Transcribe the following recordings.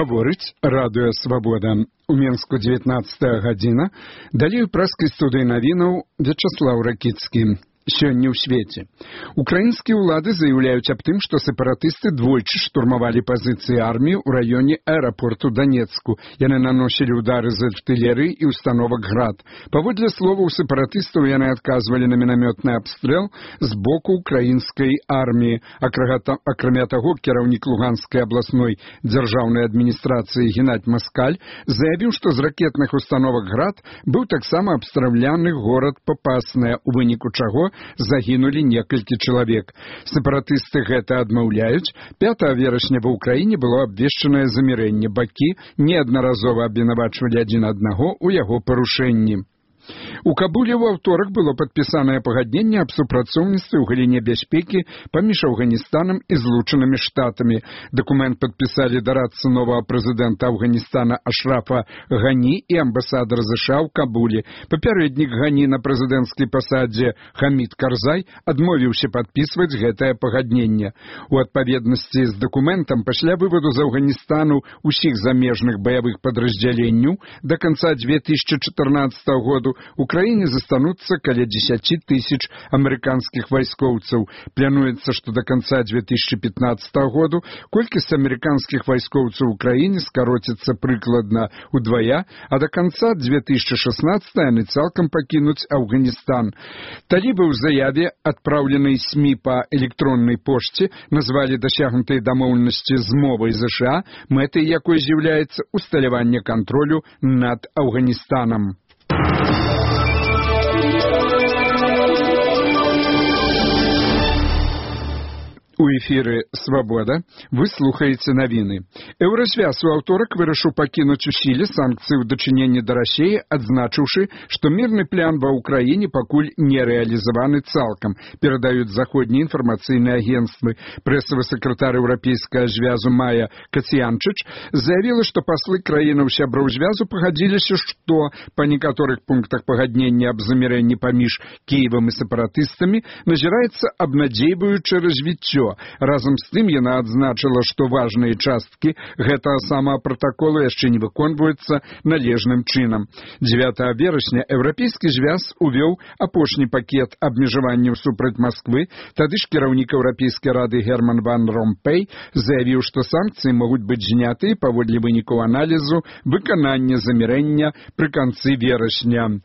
Гаворыць радыё «Свабода». У Менску 19 гадзіна. Далей у праскай студыі навінаў Вячаслаў Ракіцкі. Сёння ў свеце. Украінскія ўлады заяўляюць аб тым, што сепаратысты двойчы штурмавалі пазіцыі арміі ў раёне аэрапорту Данецку. Яны наносілі ўдары з артылерыі і установак «Град». Паводле словаў сепаратыстаў, яны адказвалі на мінамётны абстрэл з боку украінскай арміі. Акрамя таго, кіраўнік Луганскай абласной дзяржаўнай адміністрацыі Геннадзь Маскаль заявіў, што з ракетных установак «Град» быў таксама абстраўляны горад Папасная, у выніку чаго загінулі некалькі чалавек. Сепаратысты гэта адмаўляюць. 5 верасня ва ўкраіне было абвешчанае замірэнне. Бакі неаднаразова абвінавачвалі адзін аднаго ў яго парушэнні. У Кабуле ў аўторак было падпісанае пагадненне аб супрацоўніцтве ў галіне бяспекі паміж Афганістанам і Злучанымі Штатамі. Дакумент падпісалі дарадцы новага прэзідэнта Афганістана Ашрафа Гані і амбасадар США ў Кабуле. Папярэднік Гані на прэзідэнцкай пасадзе Хамід Карзай адмовіўся падпісваць гэтае пагадненне. У адпаведнасці з дакументам пасля вываду з Афганістану ўсіх замежных баявых падраздзяленняў да канца 2014 году у краіне застануцца каля 10 тысяч амерыканскіх вайскоўцаў. Плануецца, што да канца 2015 году колькасць амерыканскіх вайскоўцаў у краіне скароціцца прыкладна ўдвая, а да канца 2016 яны цалкам пакінуць Афганістан. Талібы ў заяве, адпраўленай СМІ па электроннай пошце, назвалі дасягнутай дамоўленасці з мовай США, мэтай якой з'яўляецца усталяванне кантролю над Афганістанам. У эфіры «Свабода» вы слухаеце навіны. Еўразвяз у аўторак вырашыў пакінуць у сіле санкцыі ў дачыненні да Расіі, адзначыўшы, што мірны план ва ўкраіне пакуль не рэалізаваны цалкам, перадаюць заходнія інфармацыйныя агенцтвы. Прэсавы сакратар еўрапейскага звязу Майя Кацянчыч заявіла, што паслы краінаў сяброў звязу пагадзіліся, што па некаторых пунктах пагаднення аб замірэнні паміж Кіевам і сепаратыстамі назіраецца абнадзейваючае развіццё. Разам з тым яна адзначыла, што важныя часткі гэтага самага пратаколу яшчэ не выконваюцца належным чынам. 9 верасня еўрапейскі звяз увёў апошні пакет абмежаванняў супраць Масквы. Тады ж кіраўнік Еўрапейскай рады Герман ван Ромпэй заявіў, што санкцыі могуць быць зняты паводле вынікаў аналізу выканання замірэння пры канцы верасня.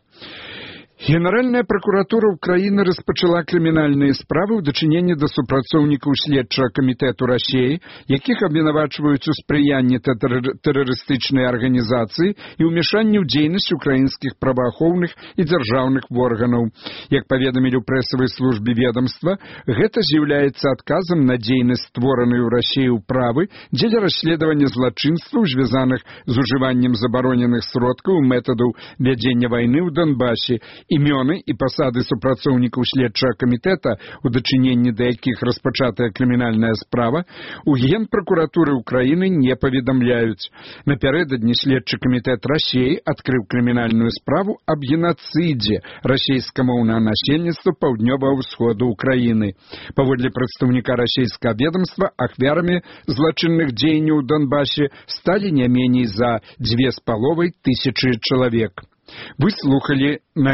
Генеральная пракуратура ўкраіны распачала крымінальныя справы ў дачыненні да супрацоўнікаў следчага камітэту Расіі, якіх абвінавачваюць у спрыянні тэрарыстычнай арганізацыі і ўмешанні ў дзейнасць украінскіх праваахоўных і дзяржаўных органаў. Як паведамілі ў прэсавай службе ведамства, гэта з'яўляецца адказам на дзейнасць створанай у Расіі ўправы дзеля расследавання злачынстваў, звязаных з ужываннем забароненых сродкаў і метадаў вядзення вайны ў Донбасе. Імёны і пасады супрацоўнікаў следчага камітэта, у дачыненні да якіх распачатая крымінальная справа, у Генпракуратуры ўкраіны не паведамляюць. Напярэдадні следчы камітэт Расіі адкрыў крымінальную справу аб генацыдзе расійскамоўнага насельніцтва паўднёвага ўсходу ўкраіны. Паводле прадстаўніка расійскага ведамства, ахвярамі злачынных дзеянняў у Донбасе сталі не меней за 2500 чалавек. Вы слухалі на